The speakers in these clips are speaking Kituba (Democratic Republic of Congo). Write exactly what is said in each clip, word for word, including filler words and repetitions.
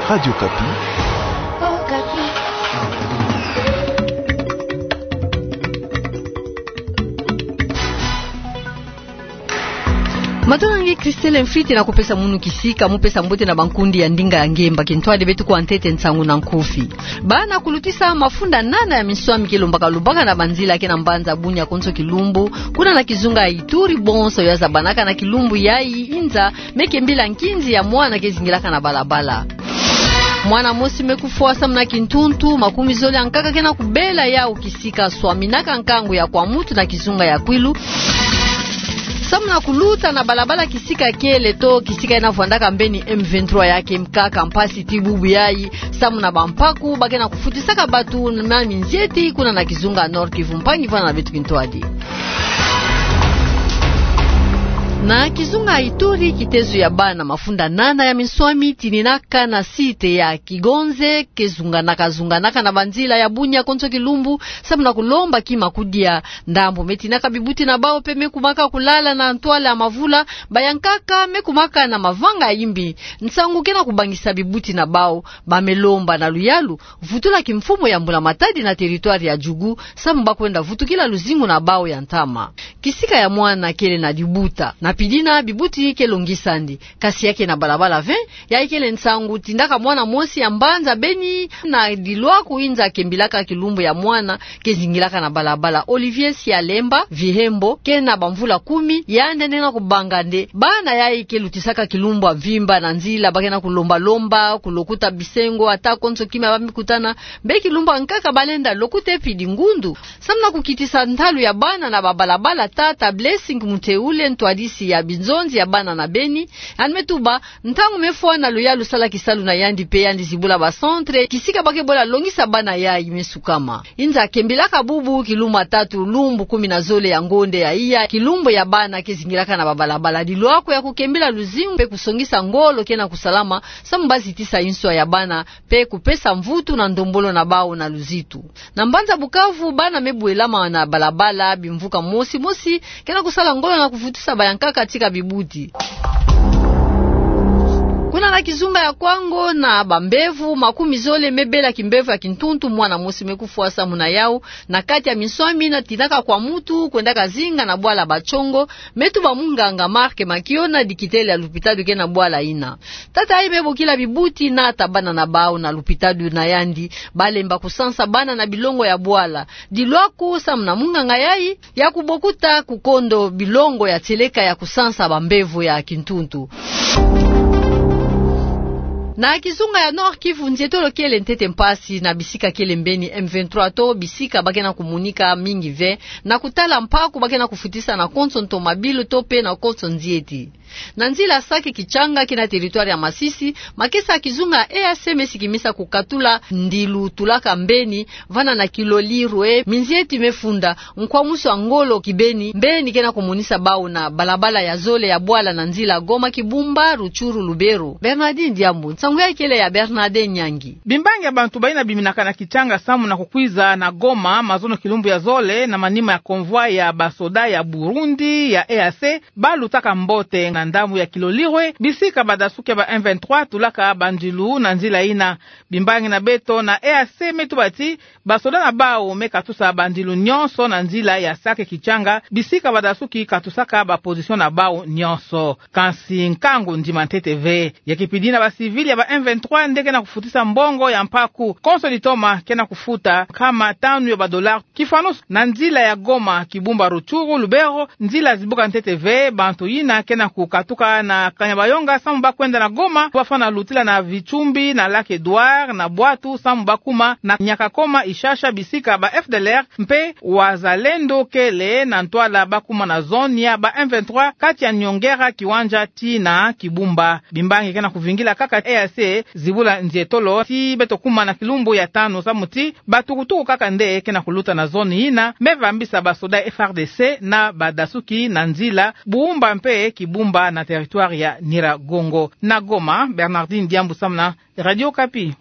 Radio Okapi. Matondo na nge Christelle Mfwiti na kupesa munu kisika, mu pesa mbote na bankundi ya ndinga ya nge. Mba kintwadi beto kuwa ntete nsangu na nkufi. Bana kulutisa mafunda nana ya minswami ke lombaka lobaka na banzila ke na mbanza Bunia konso kilumbu, kuna na kizunga ya Ituri, bonso ya zabanaka na kilumbu yayi, inza me kembila nkinzi ya mwana ke zingilaka na balabala. Mwana mosi me kufwa samu na kintuntu, makumi zole ya nkaka ke na kubela yau kisika swaminaka nkangu ya kwa mutu na kizunga ya Kwilu, samu na kuluta na balabala kisika kele to kisika yina vwandaka mbeni M vingt-trois ya ke mkaka. Mpasi ti bubu yayi, samu na bampaku ba ke na kufutisaka batu na minzieti kuna na kizunga Nord-Kivu. Mpangi vwanda na beto kintwadi. Na kizunga Ituri, kitezo ya bana mafunda nana ya minswami tininaka na site ya Kigonze, ke zunganaka zunganaka na banzila ya Bunia konso kilumbu, samu na kulomba kima kudia. Ndambu me tininaka bibuti na bau pe me kumaka kulala na ntwala ya mavula, ba ya nkaka me kumaka na mavanga ya imbi. Nsangu ke na kubangisa bibuti na bau, ba me lomba na luyalu vutula kimfumu ya mbula matadi na territoire ya Djugu, samu ba kwenda vutukila luzingu na bau ya ntama. Kisika ya mwana kele na dibuta, na pidina bibuti ke longisandi. Kasi ya ke na balabala vingt, yayi kele nsangu tindaka mwana mosi ya mbanza Beni na dilwaku inza kembilaka kilumbu ya mwana ke zingilaka na balabala. Olivier Sialemba Vihembo, ke na bamvula kumi, yandi nde na kubanga nde bana yayi ke lutisaka kilumbu ya mvimba na nzila, ba ke na kulomba lomba, kulokuta bisengo, ata konso kima ba me kutana, mbe kilumbu ya nkaka ba lenda lokuta e pidi ngundu. Samu na kukitisa ntalu ya bana na babalabala, tata Blessing Muteule, ntwadisi ya binzonzi ya bana na Beni, yandi me tuba, ntangu me fwa na luyalu sala kisalu na yandi pe yandi zibula ba centre kisika ba ke bola longisa bana yayi me sukama. Inza kembilaka bubu kilumbu ya tatu lumbu kumi na zole ya ngonde ya iya, kilumbu ya bana ke zingilaka na babalabala. Dilwaku ya kukembila luzingu pe kusongisa ngolo ke na kusalama, samu ba zitisa inswa ya bana, pe kupesa mvutu na ndombolo na bau na luzitu. Na mbanza Bukavu, bana me bwelama na balabala, bimvuka mosi mosi ke na kusala ngolo na kuvutisa ba ya nkaka tika bibuti. Kuna na kizunga ya Kwango, na bambevo makumi zole me bela kimbevo ya kintuntu, mwana mosi me kufwa samu na yau, na kati ya minswami yina tininaka kwa mutu kwendaka zinga na bwala Batshongo, me tuba munganga Marc Makiona, dikitele ya lupitalu ke na bwala yina. Tata yayi me bokila bibuti, nata bana na bau na lupitalu na yandi, ba lemba kusansa bana na bilongo ya bwala. Dilwaku samu na munganga yayi ya kubokuta kukondo bilongo ya tieleka ya kusansa bambevo ya kintuntu. Na kizunga ya Nord-Kivu, nzietolo kele ntete mpasi na bisika kele mbeni M vingt-trois to bisika ba ke na kumonika mingi ve, na kutala mpaku ba ke na kufutisa na konso ntomabilu to pe na konso nzieti. Na nzila Sake Kitshanga ke na territoire ya Masisi, makesa ya kizunga E A C me sikimisa kukatula ndilu tulaka mbeni, vana na Kilolirwe, minzieti me funda, nkwamusu ya ngolo kibeni, mbeni ke na kumonisa bau na balabala ya zole ya bwala na nzila Goma Kibumba, Rutshuru, Lubero. Bernardine Diambu, nsangu yayi kele ya Bernardin Nyangi. Bimbangi ya bantu bayina biminaka na Kitshanga samu na kukwiza na Goma, mazono kilumbu ya zole, na manima ya convoi ya basoda ya Burundi, ya E A C, ba lutaka mbote na ndambu ya Kilolirwe, bisika badasuki ya ba M vingt-trois tulaka bandilu na nzila yina. Bimbangi na beto na E A C me tuba ti, basoda na bau me katusa bandilu nyonso na nzila ya Sake Kitshanga, bisika badasuki katusaka ba position na bau nyonso. Kansi nkangu ndima ntete ve. Ya kipidi na ba civil ya ba M vingt-trois nde ke na kufutisa mbongo ya mpaku. Konso litoma ke na kufuta nkama tanu ya ba dollars. Kifwanusu na nzila ya Goma Kibumba, Rutshuru, Lubero, nzila zibuka ntete ve, bantu yina ke na kukatuka na Kanyabayonga samu ba kwenda na Goma, ba fwana lutila na Vitsumbi, na Lac Edouard, na Bwatu samu ba kuma na Nyakakoma, Ishasha, bisika ba F D L R mpe Wazalendo kele na ntwala, ba kuma na zone ya ba M vingt-trois, kati ya Nyongera, Kiwanja tii na Kibumba. Bimbangi ke na kuvingila kaka E A C zibula nzietolo ti beto kuma na kilumbu ya tanu samu ti batukutuku kaka nde ke na kuluta na zone yina, me vambisa basoda F A R D C na badasuki na nzila Bumba mpe Kibumba na territoire ya Nyiragongo. Na Goma, Bernardine Diambu samu na Radio Okapi.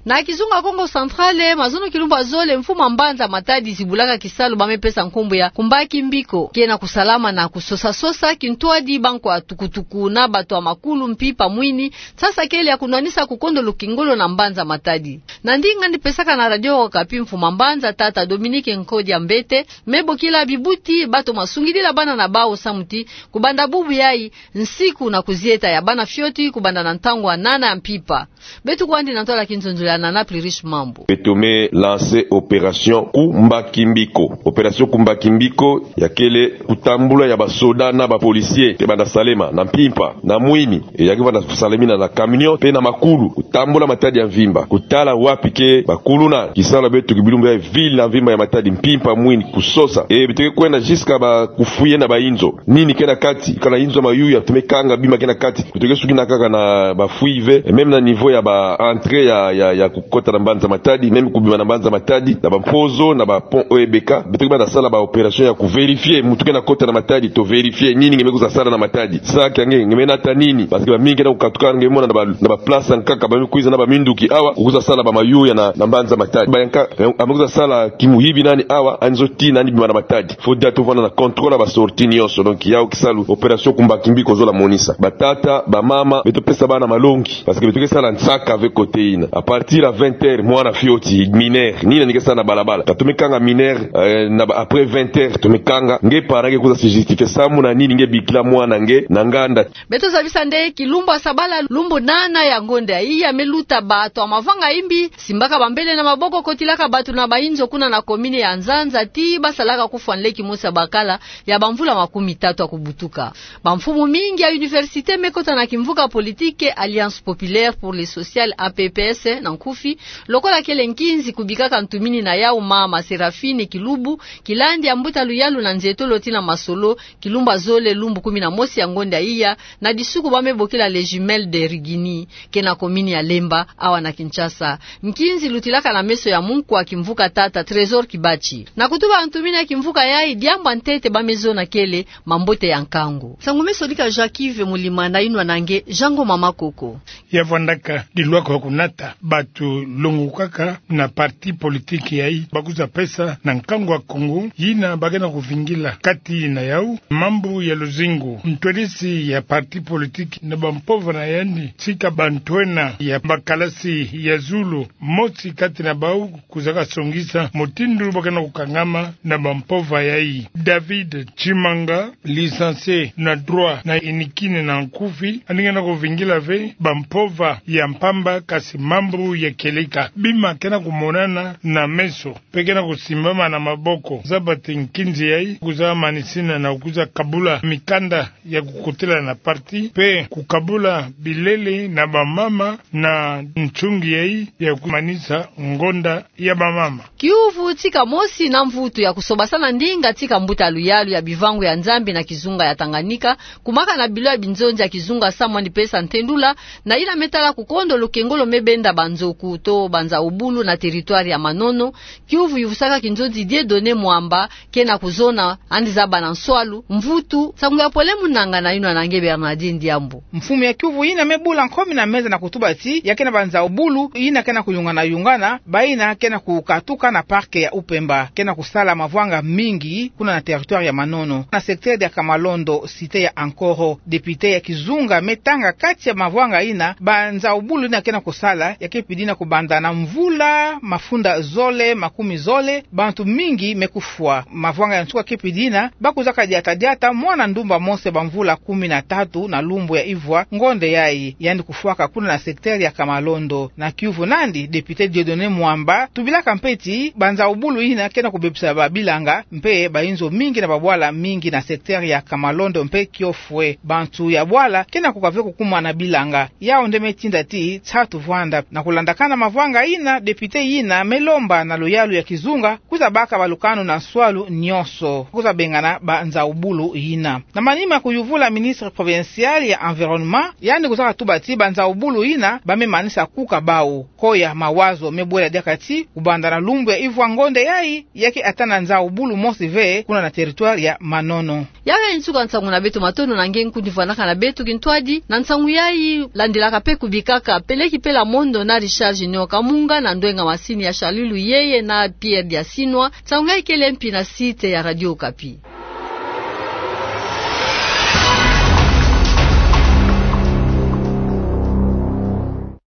Na kizunga Kongo Central, mazono kilumbu ya zole mfumu a mbanza Matadi zibulaka kisalu ba me pesa nkumbu ya Kumbaki Mbiko, ke na kusalama na kusosa-sosa kintwadi ba nkwa tukutuku na bato ya makulu, mpimpa, mwini, nsasa kele ya kunwanisa kukondo lukengolo na mbanza Matadi. Na ndinga yandi pesaka na Radio Okapi, mfumu a mbanza tata Dominique Nkodia Mbete me bokila bibuti bato masungidila bana na bawu samu ti kubanda bubu yayi, nsiku na kuzieta ya bana fioti kubanda na ntangu ya nana ya mpimpa. Beto kwandi na ntwala kinzonzolo ya Nana Pluriche Mambu. Beto me lancer opération Kumbaki Mbiko. Opération Kumbaki Mbiko ya kele kutambula ya basoda na ba policiers ke banda salema na mpimpa, na mwini, e ya ke banda salemina na camion, mpe na makulu, kutambula Matadi ya mvimba, kutala wapi ke bakuluna. Kisalu ya beto ki bilumbu ya ville na mvimba ya Matadi, mpimpa, mwini, kusosa. E beto ke kwenda jusqu'à ba kufouiller na ba inzo. Nini ke na kati, kana inzo mayuya, beto me kanga bima ke na kati. Beto ke sukina kaka na ba fouilles ve, et même na niveau ya ba entrée ya, ya, ya kukota na mbanza Matadi, même kubima na mbanza Matadi, na ba Mpozo, na ba pont O E B K, beto ke banda sala ba opération ya kuvérifier muntu ke na kota na Matadi, to vérifier nini nge me kwiza sala na Matadi. Sac ya nge, nge me nata nini? Parce que bamingi ke na kukatuka, nge mona na ba, na ba place ya nkaka, ba me kwiza na ba minduki awa, kukwiza sala ba mayuya na, na mbanza Matadi. Ba ya nkaka, eh, a me kwiza sala kimuyibi nani awa, yandi zo tina nani bima na Matadi. Faut déjà tuvwanda na contrôle ya ba sorties nyonso. Donc, yawu kisalu opération Kumbaki Mbiko zola monisa. Batata, bamama, beto pesa bana malongi. Parce que beto ke sala nsaka ve côté yina. À partir ya vingt heures, mwana fioti, mineur, nini yandi ke sala na balabala? Ka to me kanga mineur, euh, na ba, après vingt heures, to me kanga. Nge parent ke kwiza se justifier samu na nini nge bikila mwana nge na nganda. Beto zabisa nde kilumbu ya sabala, lumbu nana ya ngonda yayi, ya me luta bato ya mavanga ya imbi simbaka bambele na maboko, kotilaka bato na ba inzo kuna na commune ya Nzanza, ti ba salaka kufwa nleki mosi ya bakala ya bamvula makumi tatu ya kubutuka. Bamfumu mingi ya université me kota na kimvuka politique Alliance Populaire pour le Social, A P P S na nkufi, lokola kele Nkinzi, kubikaka ntumini na yawu mama Seraphine Kilubu, kilandi ya mbuta luyalu na nzietolo tii na masolo, kilumbu ya zole lumbu kumi na mosi ya ngonda iya, na disuku ba me bokila Les Jumelles de Rigini, ke na commune ya Lemba, awa na Kinshasa. Nkinzi lutilaka na meso ya munkwa kimvuka tata Trésor Kibatshi. Na kutuba ntumini ya kimvuka yayi, diambu ya ntete ba me zona kele mambote ya nkangu. Nsangu me sodika Jacques Yves Mulima na yinwa na nge Jean Ngoma Makoko. Ya vwandaka dilwaka ya kunata bato longo kaka na parti politique yayi ba kwiza pesa na nkangu ya Kongo, yina ba ke na kuvingila. Kati na yawu, mambu ya luzingu, ntwadisi ya parti politique na bampova na yandi, tika bantwenia ya bakalasi ya zulu, mosi kati na bawu kwizaka songisa mutindu ba ke na kukangama na bampova yayi. David Tshimanga, licencié na droit na inikini na nkufi, yandi ke na kuvingila ve bampova ya mpamba, kasi mambu ya kieleka. Bima ke na kumonana na meso, mpe ke na kusimbama na maboko. Zaba ti Nkinzi yayi kwiza manisina na kwiza kabula mikanda ya kukotela na parti, mpe kukabula bilele na bamama na nsungi yayi ya kumanisa ngonda ya bamama. Kiuvu tika mosi na mvutu ya kusobasana ndinga tika mbuta luyalu ya bivangu ya Nzambi na kizunga ya Tanganyika, kumaka na bilo ya binzonzi ya kizunga samu yandi pesa ntendula na yina me tala kukondo lukengolo me benda banzoku to banza obulu na territoire ya Manono. Kiuvu yuvusaka kinzonzi Dieudonné Mwamba, ke na kuzona, yandi zaba na nswalu, mvutu. Nsangu ya pole mu nanga na yinwa na nge Bernardine Diambu. Mfumu ya kiuvu yina me bula nkomi na meza na kutuba ti ya ke na banza obulu yina ke na kuyungana-yungana, bayina ke na kukatuka na parc ya Upemba, ke na kusala mavwanga mingi kuna na territoire ya Manono, na secteur ya Kamalondo, cité ya Ankoro. Député ya kizunga me tanga kati ya mavwanga yina banza obulu yina ke na kusala, ya ke pidina kubanda na mvula mafunda zole makumi zole, bantu mingi me kufwa. Mavwanga ya nsuka ke pidina, ba kwizaka diata-diata mwana ndumba mosi ya bamvula kumi na tatu na lumbu ya ivwa ngonda yayi, yandi kufwaka kuna na secteur ya Kamalondo. Na kiuvu nandi, député Dieudonné Mwamba tubilaka mpe ti banza obulu yina ke na kubebisa babilanga, mpe bayinzo mingi na babwala mingi na secteur ya Kamalondo mpe Kiofwe. Bantu ya bwala ke na kuka ve kukumana bilanga. Yawu nde me tinda ti nsatu vwanda. Na kulandakana mavwanga yina, député yina me lomba na luyalu ya kizunga kwiza baka balukanu na nswalu nyonso, kwiza bengana banza obulu yina. Na manima kuyuvula ministre provincial ya environnement, yandi kwizaka tuba ti banza obulu yina ba me manisa kuka bawu. Koya mawazo me bwela diaka ti kubanda na lumbu ya ivwa ngonda yayi, ya ke ata na nza obulu mosi ve kuna na territoire ya Manono. Yawu ya nsuka nsangu na beto. Matondo na nge nkundi vwandaka na beto. Kintwadi na nsangu yayi, landilaka Ka pekubikaka, peleki pela mondo na Richard Junior Kamunga na ndwenga masini ya Charlulu Yeye na Pierre Diasinwa, tsaunga ikele mpi na site ya Radio Okapi.